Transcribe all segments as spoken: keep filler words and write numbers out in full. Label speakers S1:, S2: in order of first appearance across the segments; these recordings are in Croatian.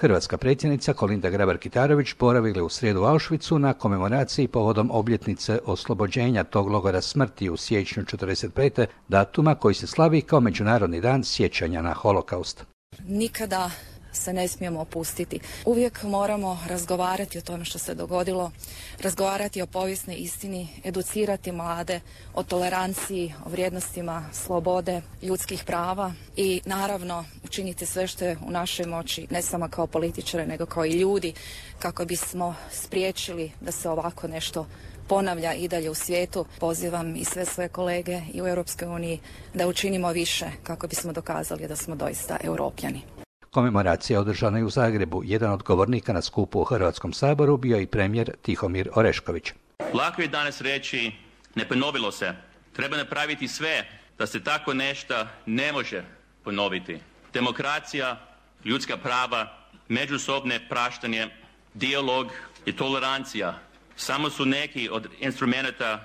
S1: Hrvatska predsjednica Kolinda Grabar-Kitarović boravila u srijedu u Auschwitzu na komemoraciji povodom obljetnice oslobođenja tog logora smrti u siječnju četrdeset pete datuma koji se slavi kao Međunarodni dan sjećanja na holokaust.
S2: Nikada se ne smijemo opustiti. Uvijek moramo razgovarati o tome što se dogodilo, razgovarati o povijesnoj istini, educirati mlade o toleranciji, o vrijednostima slobode, ljudskih prava i naravno učiniti sve što je u našoj moći, ne samo kao političare nego kao i ljudi, kako bismo spriječili da se ovako nešto ponavlja i dalje u svijetu. Pozivam i sve svoje kolege i u Europskoj uniji da učinimo više kako bismo dokazali da smo doista Europljani.
S1: Komemoracija održana je u Zagrebu. Jedan od govornika na skupu u Hrvatskom saboru bio je i premijer Tihomir Orešković.
S3: Lako je danas reći ne ponovilo se. Treba napraviti sve da se tako nešto ne može ponoviti. Demokracija, ljudska prava, međusobne praštanje, dijalog i tolerancija samo su neki od instrumenata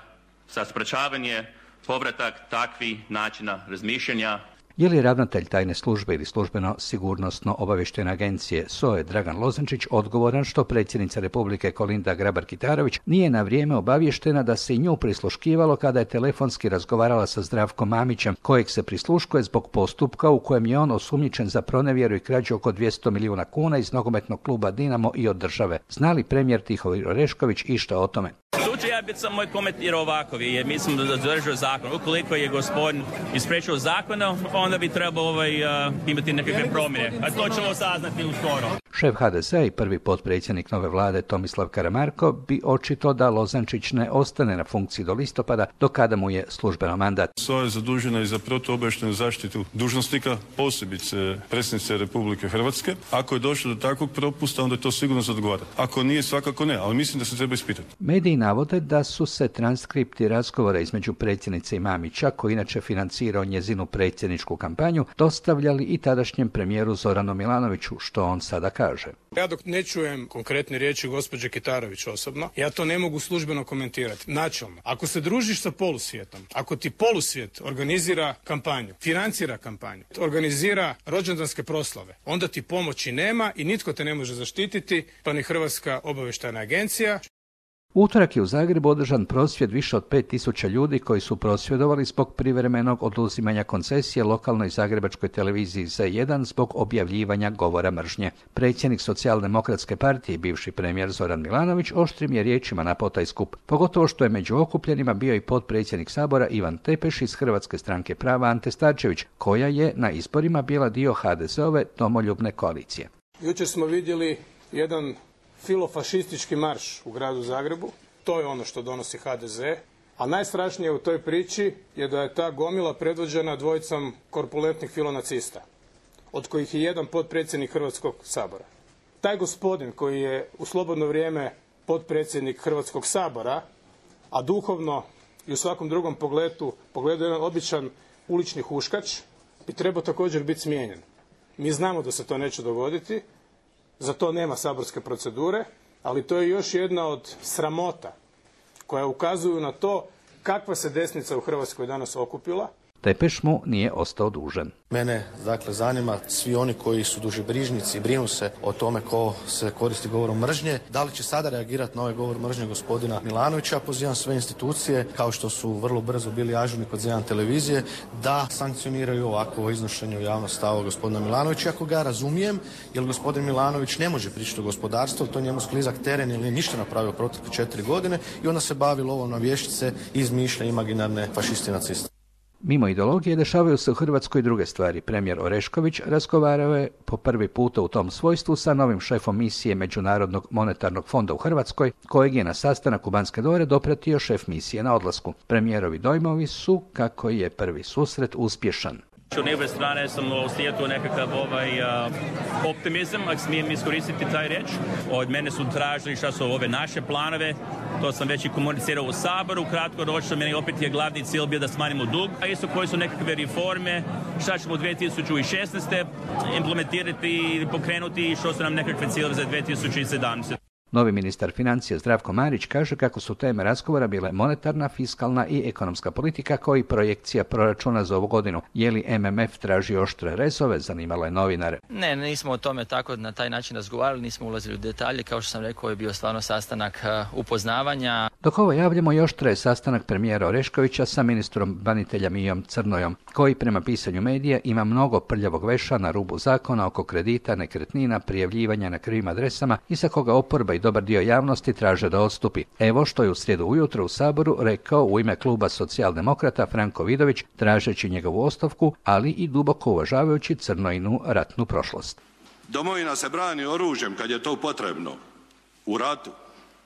S3: za sprečavanje povratak takvih načina razmišljanja.
S1: Je li ravnatelj tajne službe ili službeno sigurnosno obavještajne agencije S O E Dragan Lozančić odgovoran što predsjednica Republike Kolinda Grabar-Kitarović nije na vrijeme obavještena da se i nju prisluškivalo kada je telefonski razgovarala sa Zdravkom Mamićem, kojeg se prisluškuje zbog postupka u kojem je on osumnjičen za pronevjeru i krađu oko dvjesto milijuna kuna iz nogometnog kluba Dinamo i od države. Zna li premijer Tihomir Orešković išta o tome?
S3: Tu ja bih samo komentirao ovako, jer mislim da zadržao zakon. Ukoliko je gospodin ispriječio zakona, onda bi trebao ovaj, uh, imati nekakve promjene. A to ćemo saznati uskoro.
S1: Šef H D Z a i prvi potpredsjednik nove vlade Tomislav Karamarko bi očito da Lozančić ne ostane na funkciji do listopada, do kada mu je službeno mandat.
S4: S O A je zadužena i za protuobavještajnu zaštitu dužnosnika, posebice predsjednice Republike Hrvatske. Ako je došlo do takvog propusta, onda je to sigurno za odgovarati. Ako nije, svakako ne, ali mislim da se treba ispitati.
S1: Mediji navode da su se transkripti razgovora između predsjednice i Mamića, koji inače financirao njezinu predsjedničku kampanju, dostavljali i tadašnjem premijeru Zoranu Milanoviću, što on sada kaže.
S5: Ja dok ne čujem konkretne riječi gospođe Kitarović osobno, ja to ne mogu službeno komentirati. Načelno, ako se družiš sa polusvijetom, ako ti polusvijet organizira kampanju, financira kampanju, organizira rođendanske proslave, onda ti pomoći nema i nitko te ne može zaštititi, pa ni Hrvatska obavještajna agencija.
S1: U utorak je u Zagrebu održan prosvjed više od pet tisuća ljudi koji su prosvjedovali zbog privremenog oduzimanja koncesije lokalnoj zagrebačkoj televiziji Z jedan zbog objavljivanja govora mržnje. Predsjednik Socijaldemokratske partije i bivši premijer Zoran Milanović oštrim je riječima napao taj skup, pogotovo što je među okupljenima bio i potpredsjednik Sabora Ivan Tepeš iz Hrvatske stranke prava Ante Starčević, koja je na izborima bila dio H D Z ove domoljubne koalicije.
S5: Jučer smo vidjeli jedan filofašistički marš u gradu Zagrebu. To je ono što donosi H D Z. A najstrašnije u toj priči je da je ta gomila predvođena dvojicom korpulentnih filonacista, od kojih je jedan potpredsjednik Hrvatskog sabora. Taj gospodin koji je u slobodno vrijeme potpredsjednik Hrvatskog sabora, a duhovno i u svakom drugom pogledu, pogledu jedan običan ulični huškač, bi trebao također biti smijenjen. Mi znamo da se to neće dogoditi, za to nema saborske procedure, ali to je još jedna od sramota koja ukazuju na to kakva se desnica u Hrvatskoj danas okupila.
S1: Tepeš mu nije ostao dužan.
S6: Mene, dakle, zanima svi oni koji su dušebrižnici i brinu se o tome ko se koristi govorom mržnje. Da li će sada reagirati na ovaj govor mržnje gospodina Milanovića? Pozivam sve institucije, kao što su vrlo brzo bili ažurni kod Z jedan televizije, da sankcioniraju ovakvo iznošenje u javnost stava gospodina Milanovića. Ako ga razumijem, jer gospodin Milanović ne može pričati o gospodarstvu, to njemu sklizak teren ili ništa napravio protekle četiri godine i onda se bavi lovom na vještice i izmišlja imaginarne fašisti i naciste.
S1: Mimo ideologije dešavaju se u Hrvatskoj druge stvari. Premijer Orešković razgovarao je po prvi puta u tom svojstvu sa novim šefom misije Međunarodnog monetarnog fonda u Hrvatskoj, kojeg je na sastanak u Banske dvore dopratio šef misije na odlasku. Premijerovi dojmovi su kako je prvi susret uspješan.
S3: Od njegove strane sam osjetio nekakav ovaj, uh, optimizam, ako smijem iskoristiti taj riječ. Od mene su tražili šta su ove naše planove, to sam već i komunicirao u Saboru, kratko ročno, meni opet je glavni cilj bio da smanjimo dug, a isto koji su nekakve reforme, šta ćemo u dvije tisuće šesnaeste implementirati i pokrenuti i što su nam nekakve ciljeve za dvije tisuće sedamnaeste.
S1: Novi ministar financija Zdravko Marić kaže kako su teme razgovora bile monetarna, fiskalna i ekonomska politika kao i projekcija proračuna za ovu godinu. Je li M M F traži oštre rezove, zanimalo je novinare.
S7: Ne, nismo o tome tako na taj način razgovarali, nismo ulazili u detalje. Kao što sam rekao, je bio stvarno sastanak upoznavanja.
S1: Dok ovo javljamo, još traje sastanak premijera Oreškovića sa ministrom branitelja Mijom Crnojom, koji prema pisanju medija ima mnogo prljavog veša na rubu zakona oko kredita, nekretnina, prijavljivanja na krivim adresama i sa koga oporba i dobar dio javnosti traže da odstupi. Evo što je u srijedu ujutro u Saboru rekao u ime kluba socijaldemokrata Franko Vidović, tražeći njegovu ostavku, ali i duboko uvažavajući Crnojinu ratnu prošlost.
S8: Domovina se brani oružjem kad je to potrebno. U ratu.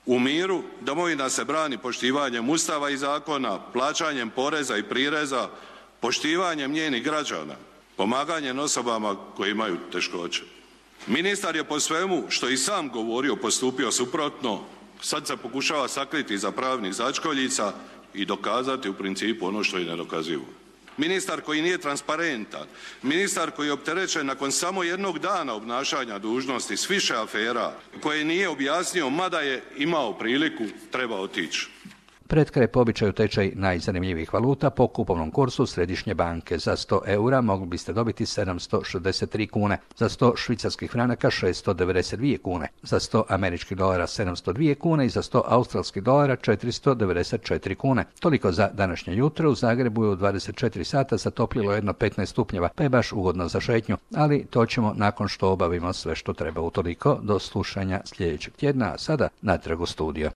S8: U miru domovina se brani poštivanjem Ustava i zakona, plaćanjem poreza i prireza, poštivanjem njenih građana, pomaganjem osobama koji imaju teškoće. Ministar je po svemu što i sam govorio postupio suprotno, sad se pokušava sakriti iza pravnih začkoljica i dokazati u principu ono što je nedokazivo. Ministar koji nije transparentan, ministar koji je opterećen nakon samo jednog dana obnašanja dužnosti s više afera, koje nije objasnio, mada je imao priliku, treba otići.
S1: Pred kraj po običaju tečaj najzanimljivijih valuta po kupovnom kursu Središnje banke. Za sto eura mogli biste dobiti sedamsto šezdeset tri kune, za sto švicarskih franaka šeststo devedeset dvije kune, za sto američkih dolara sedamsto dvije kune i za sto australskih dolara četiristo devedeset četiri kune. Toliko za današnje jutro. U Zagrebu je u dvadeset četiri sata zatoplilo jedno petnaest stupnjeva, pa je baš ugodno za šetnju, ali to ćemo nakon što obavimo sve što treba. Utoliko do slušanja sljedećeg tjedna, a sada natrag u studio.